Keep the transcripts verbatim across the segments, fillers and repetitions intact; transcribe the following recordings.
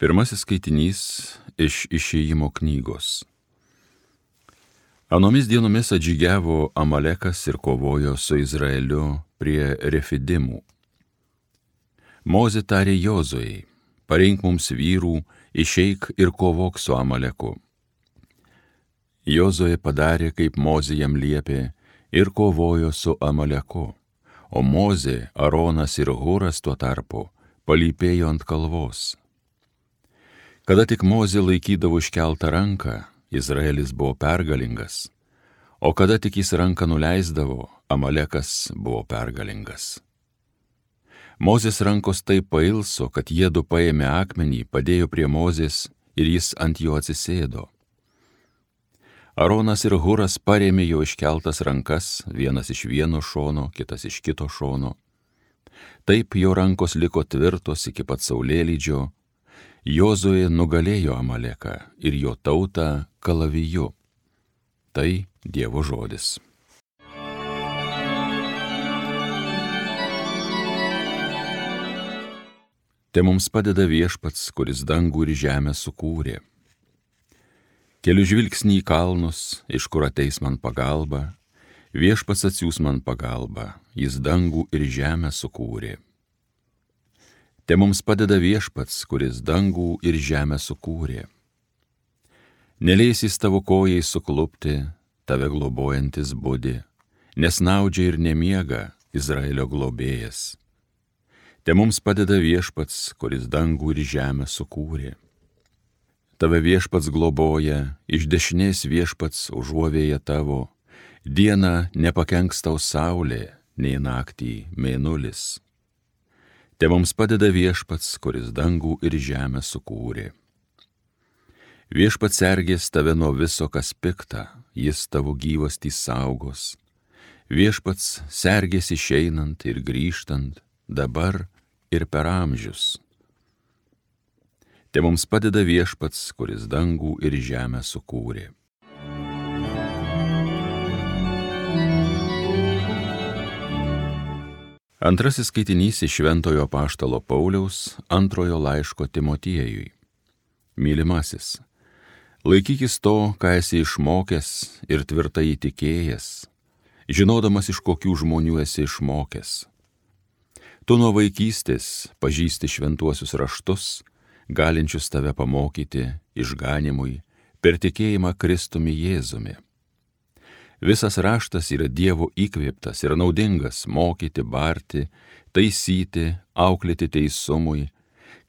Pirmasis skaitinys iš Išėjimo knygos. Anomis dienomis atžygiavo Amalekas ir kovojo su Izraeliu prie Refidimų. Mozė tarė Jozuei: pareink mums vyrų, išeik ir kovok su Amaleku. Jozuė padarė, kaip Mozė jam liepė, ir kovojo su Amaleku, o Mozė, Aronas ir Huras tuo tarpu palypėjo ant kalvos. Kada tik Mozė laikydavo iškeltą ranką, Izraelis buvo pergalingas, o kada tik jis ranką nuleisdavo, Amalekas buvo pergalingas. Mozės rankos taip pailso, kad jiedu paėmė akmenį, padėjo prie Mozės ir jis ant jo atsisėdo. Aronas ir Huras parėmė jo iškeltas rankas, vienas iš vieno šono, kitas iš kito šono. Taip jo rankos liko tvirtos iki pat saulėlydžio. Jozuė nugalėjo Amaleką ir jo tautą kalaviju. Tai Dievo žodis. Te mums padeda Viešpats, kuris dangų ir žemę sukūrė. Keliu žvilgsnį į kalnus, iš kur ateis man pagalba. Viešpats atsiųs man pagalbą, jis dangų ir žemę sukūrė. Te mums padeda Viešpats, kuris dangų ir žemę sukūrė. Neleis jis tavo kojai suklupti, tave globojantis budi, nesnaudžia ir nemiega Izraelio globėjas. Te mums padeda Viešpats, kuris dangų ir žemę sukūrė. Tave Viešpats globoja, iš dešinės Viešpats užuovėja tavo, dieną nepakenks tau saulė, nei naktį mėnulis. Te mums padeda Viešpats, kuris dangų ir žemę sukūrė. Viešpats sergės tave nuo viso, kas pikta, jis tavo gyvastį saugos. Viešpats sergės išeinant ir grįžtant, dabar ir per amžius. Te mums padeda Viešpats, kuris dangų ir žemę sukūrė. Antrasis skaitinys iš Šventojo apaštalo Pauliaus antrojo laiško Timotiejui. Mylimasis, laikykis to, ką esi išmokęs ir tvirtai įtikėjęs, žinodamas, iš kokių žmonių esi išmokęs. Tu nuo vaikystės pažįsti šventuosius raštus, galinčius tave pamokyti išganimui per tikėjimą Kristumi Jėzumi. Visas raštas yra Dievo įkvėptas ir naudingas mokyti, barti, taisyti, auklėti teisumui,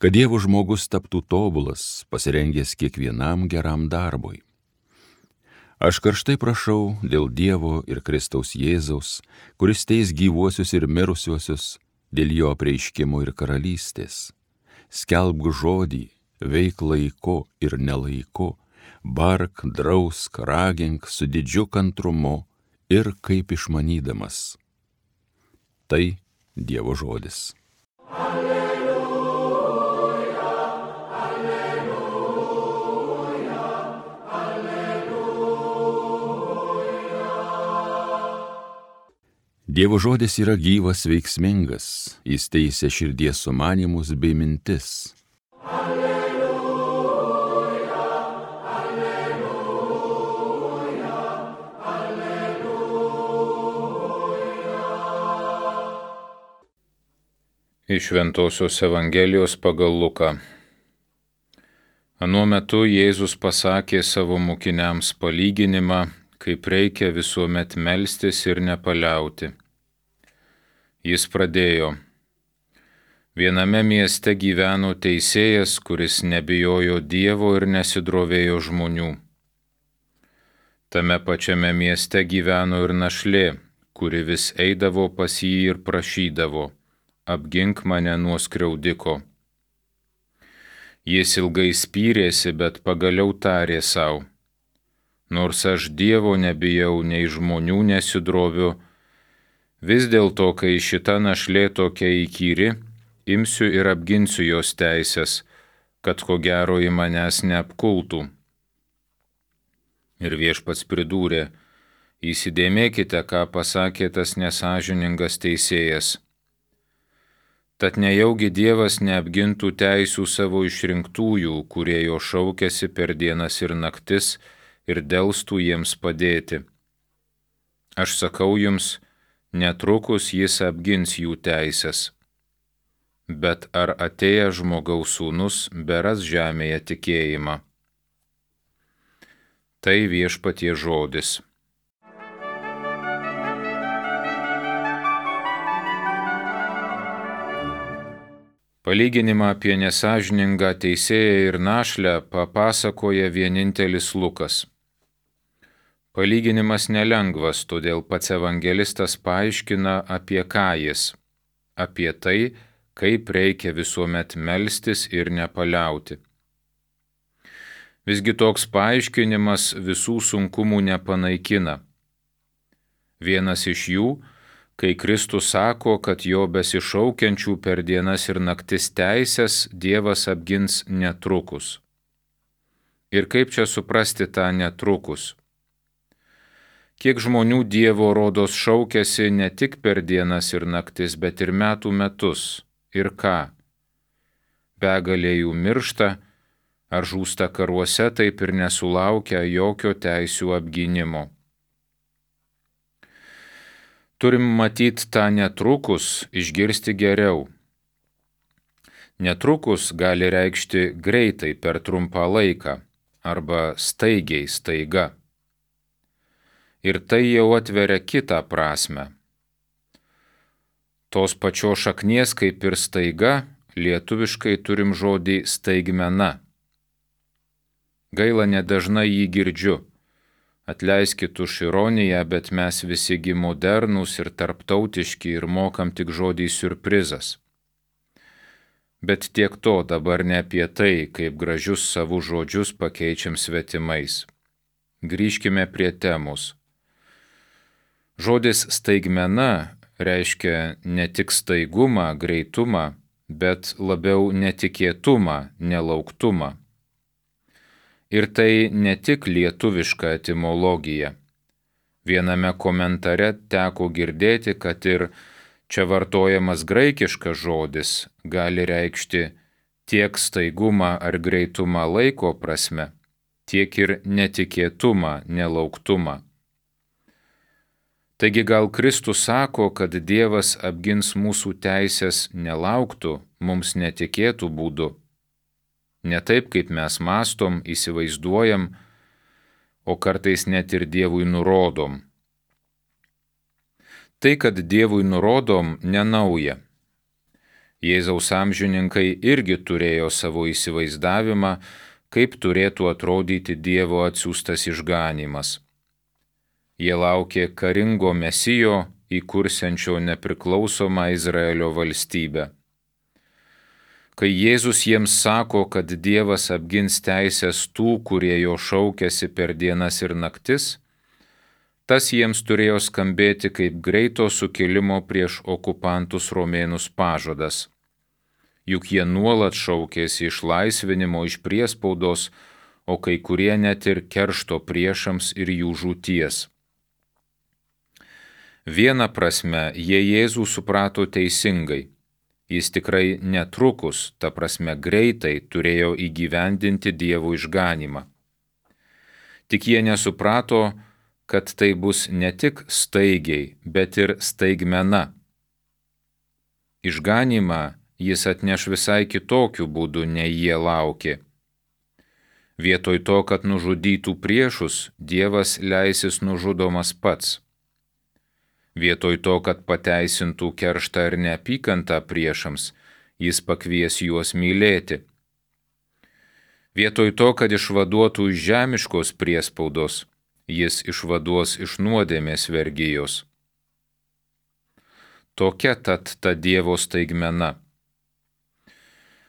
kad Dievo žmogus taptų tobulas, pasirengęs kiekvienam geram darbui. Aš karštai prašau dėl Dievo ir Kristaus Jėzaus, kuris teis gyvuosius ir mirusiuosius, dėl jo apreiškimo ir karalystės. Skelbk žodį, veik laiku ir nelaiku, bark, drausk, ragink su didžiu kantrumu ir kaip išmanydamas. Tai Dievo žodis. Alleluja, alleluja, alleluja. Dievo žodis yra gyvas, veiksmingas, jis teisia širdies sumanymus bei mintis. Iš Šventosios Evangelijos pagal Luką. Anuo metu Jėzus pasakė savo mokiniams palyginimą, kaip reikia visuomet melstis ir nepaliauti. Jis pradėjo: viename mieste gyveno teisėjas, kuris nebijojo Dievo ir nesidrovėjo žmonių. Tame pačiame mieste gyveno ir našlė, kuri vis eidavo pas jį ir prašydavo: apgink mane nuo skriaudiko. Jis ilgai spyrėsi, bet pagaliau tarė sau: nors aš Dievo nebijau, nei žmonių nesidroviu, vis dėlto, kai šita našlė tokia įkyri, imsiu ir apginsiu jos teisės, kad ko gero į manęs neapkultų. Ir Viešpats pridūrė: įsidėmėkite, ką pasakė tas nesąžiningas teisėjas. Tad nejaugi Dievas neapgintų teisių savo išrinktųjų, kurie jo šaukėsi per dienas ir naktis ir delstų jiems padėti. Aš sakau jums, netrukus jis apgins jų teisės. Bet ar atėjęs žmogaus sūnus beras žemėje tikėjimą? Tai viešpaties žodis. Palyginimą apie nesąžiningą teisėją ir našlę papasakoja vienintelis Lukas. Palyginimas nelengvas, todėl pats evangelistas paaiškina, apie ką jis. Apie tai, kaip reikia visuomet melstis ir nepaliauti. Visgi toks paaiškinimas visų sunkumų nepanaikina. Vienas iš jų, kai Kristus sako, kad jo besišaukiančių per dienas ir naktis teisės Dievas apgins netrukus. Ir kaip čia suprasti tą netrukus? Kiek žmonių Dievo rodos šaukiasi ne tik per dienas ir naktis, bet ir metų metus. Ir ką? Begalė jų miršta, ar žūsta karuose, taip ir nesulaukia jokio teisių apgynimo. Turim matyti tą netrukus, išgirsti geriau. Netrukus gali reikšti greitai per trumpą laiką arba staigiai staiga. Ir tai jau atveria kitą prasmę. Tos pačios šaknies kaip ir staiga, lietuviškai turim žodį staigmena. Gaila, nedažnai jį girdžiu. Atleiskit už ironiją, bet mes visi gi modernūs ir tarptautiški ir mokam tik žodį siurprizas. Bet tiek to, dabar ne apie tai, kaip gražius savų žodžius pakeičiam svetimais. Grįžkime prie temos. Žodis staigmena reiškia ne tik staigumą, greitumą, bet labiau netikėtumą, nelauktumą. Ir tai ne tik lietuviška etimologija. Viename komentare teko girdėti, kad ir čia vartojamas graikiškas žodis gali reikšti tiek staigumą ar greitumą laiko prasme, tiek ir netikėtumą, nelauktumą. Taigi gal Kristus sako, kad Dievas apgins mūsų teisės nelauktų, mums netikėtų būdu. Ne taip, kaip mes mąstom, įsivaizduojam, o kartais net ir Dievui nurodom. Tai, kad Dievui nurodom, nenauja. Jėzaus amžininkai irgi turėjo savo įsivaizdavimą, kaip turėtų atrodyti Dievo atsiųstas išganymas. Jie laukė karingo Mesijo, įkursiančio nepriklausomą Izraelio valstybę. Kai Jėzus jiems sako, kad Dievas apgins teisės tų, kurie jo šaukiasi per dienas ir naktis, tas jiems turėjo skambėti kaip greito sukilimo prieš okupantus romėnus pažadas. Juk jie nuolat šaukėsi išlaisvinimo iš priespaudos, o kai kurie net ir keršto priešams ir jų žūties. Viena prasme, jie Jėzų suprato teisingai. Jis tikrai netrukus, ta prasme greitai, turėjo įgyvendinti Dievo išganymą. Tik jie nesuprato, kad tai bus ne tik staigiai, bet ir staigmena. Išganymą jis atneš visai kitokiu būdu, nei jie laukė. Vietoj to, kad nužudytų priešus, Dievas leisis nužudomas pats. Vietoj to, kad pateisintų kerštą ir neapykantą priešams, jis pakvies juos mylėti. Vietoj to, kad išvaduotų iš žemiškos priespaudos, jis išvaduos iš nuodėmės vergijos. Tokia tad ta Dievo staigmena.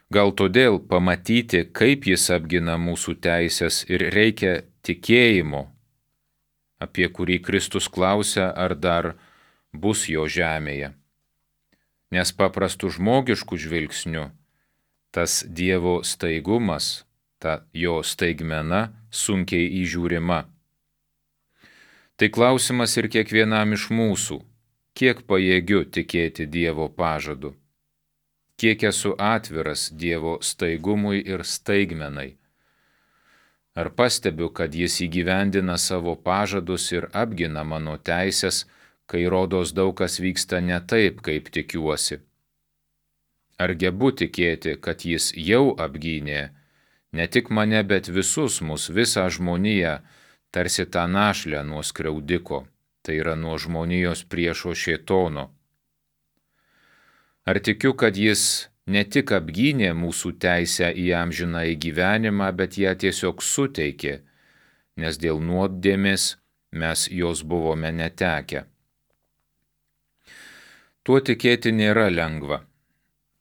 Gal todėl pamatyti, kaip jis apgina mūsų teisės, ir reikia tikėjimo, apie kurį Kristus klausia, ar dar bus jo žemėje. Nes paprastų žmogiškų žvilgsnių tas Dievo staigumas, ta jo staigmena sunkiai įžiūrima. Tai klausimas ir kiekvienam iš mūsų, kiek pajėgiu tikėti Dievo pažadu. kiek esu atviras Dievo staigumui ir staigmenai. Ar pastebiu, kad jis įgyvendina savo pažadus ir apgina mano teisės, kai rodos daug kas vyksta ne taip, kaip tikiuosi? Ar gebu tikėti, kad jis jau apgynė ne tik mane, bet visus mus, visą žmoniją, tarsi tą našlę nuo skriaudiko, tai yra nuo žmonijos priešo šėtono? Ar tikiu, kad jis ne tik apgynė mūsų teisę į amžinąjį gyvenimą, bet ją tiesiog suteikė, nes dėl nuodėmės mes jos buvome netekę? Tuo tikėti nėra lengva,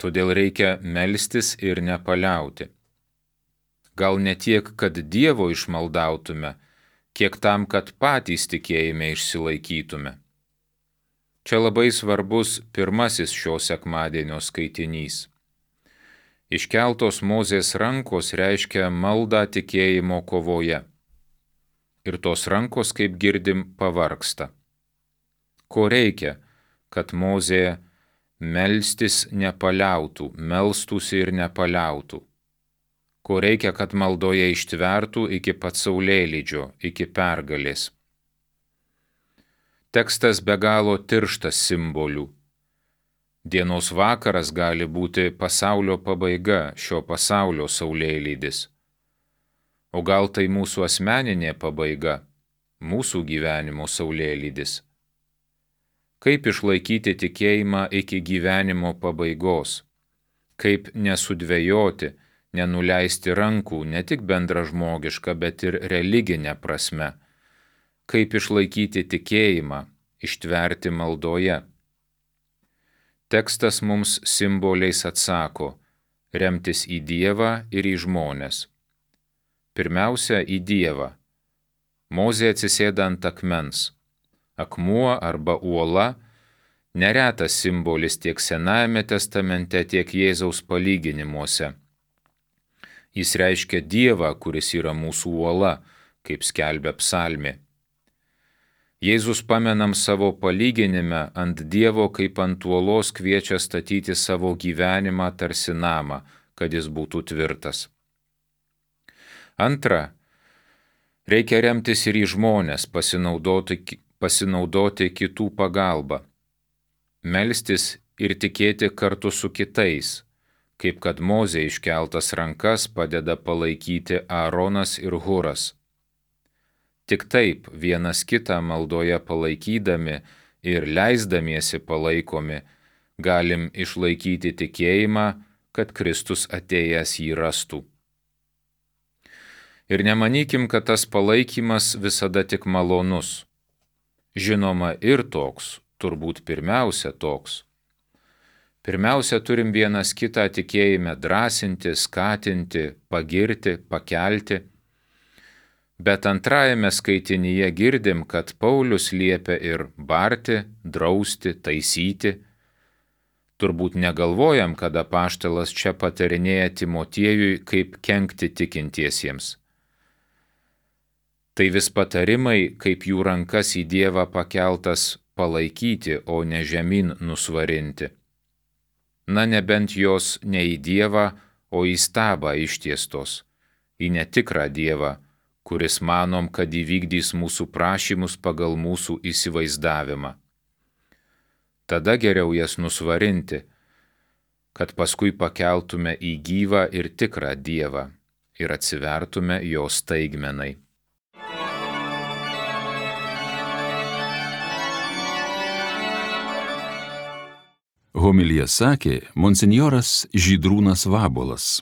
todėl reikia melstis ir nepaliauti. Gal ne tiek, kad Dievo išmaldautume, kiek tam, kad patys tikėjime išsilaikytume. Čia labai svarbus pirmasis šio sekmadienio skaitinys. Iškeltos Mozės rankos reiškia maldą tikėjimo kovoje. Ir tos rankos, kaip girdim, pavargsta. Ko reikia, kad Mozė melstis nepaliautų, melstųsi ir nepaliautų? Ko reikia, kad maldoje ištvertų iki pat saulėlydžio, iki pergalės? Tekstas be galo tirštas simbolių. Dienos vakaras gali būti pasaulio pabaiga, šio pasaulio saulėlydis. O gal tai mūsų asmeninė pabaiga, mūsų gyvenimo saulėlydis? Kaip išlaikyti tikėjimą iki gyvenimo pabaigos? Kaip nesudvejoti, nenuleisti rankų ne tik bendražmogiška, bet ir religinė prasme? Kaip išlaikyti tikėjimą, ištverti maldoje? Tekstas mums simboliais atsako – remtis į Dievą ir į žmones. Pirmiausia, į Dievą. Mozė atsisėda ant akmens. Akmuo arba uola – neretas simbolis tiek Senajame testamente, tiek Jėzaus palyginimuose. Jis reiškia Dievą, kuris yra mūsų uola, kaip skelbia psalmė. Jėzus pamenam savo palyginime ant Dievo kaip ant uolos kviečia statyti savo gyvenimą tarsi namą, kad jis būtų tvirtas. Antra, reikia remtis ir į žmones, pasinaudoti, pasinaudoti kitų pagalbą. Melstis ir tikėti kartu su kitais, kaip kad Mozė iškeltas rankas padeda palaikyti Aaronas ir Huras. Tik taip vienas kitą maldoje palaikydami ir leisdamiesi palaikomi, galim išlaikyti tikėjimą, kad Kristus atėjęs jį rastų. Ir nemanykim, kad tas palaikymas visada tik malonus. Žinoma, ir toks, turbūt pirmiausia toks. Pirmiausia, turim vienas kitą tikėjime drąsinti, skatinti, pagirti, pakelti. Bet antrajame skaitinyje girdim, kad Paulius liepia ir barti, drausti, taisyti. Turbūt negalvojam, kad apaštalas čia patarinėja Timotiejui, kaip kenkti tikintiesiems. Tai vis patarimai, kaip jų rankas į Dievą pakeltas palaikyti, o ne žemyn nusvarinti. Na, nebent jos ne į Dievą, o į stabą ištiestos, į netikrą Dievą, kuris manom, kad įvykdys mūsų prašymus pagal mūsų įsivaizdavimą. Tada geriau jas nusvarinti, kad paskui pakeltume į gyvą ir tikrą Dievą ir atsivertume jo staigmenai. Homiliją sakė monsinjoras Žydrūnas Vabuolas.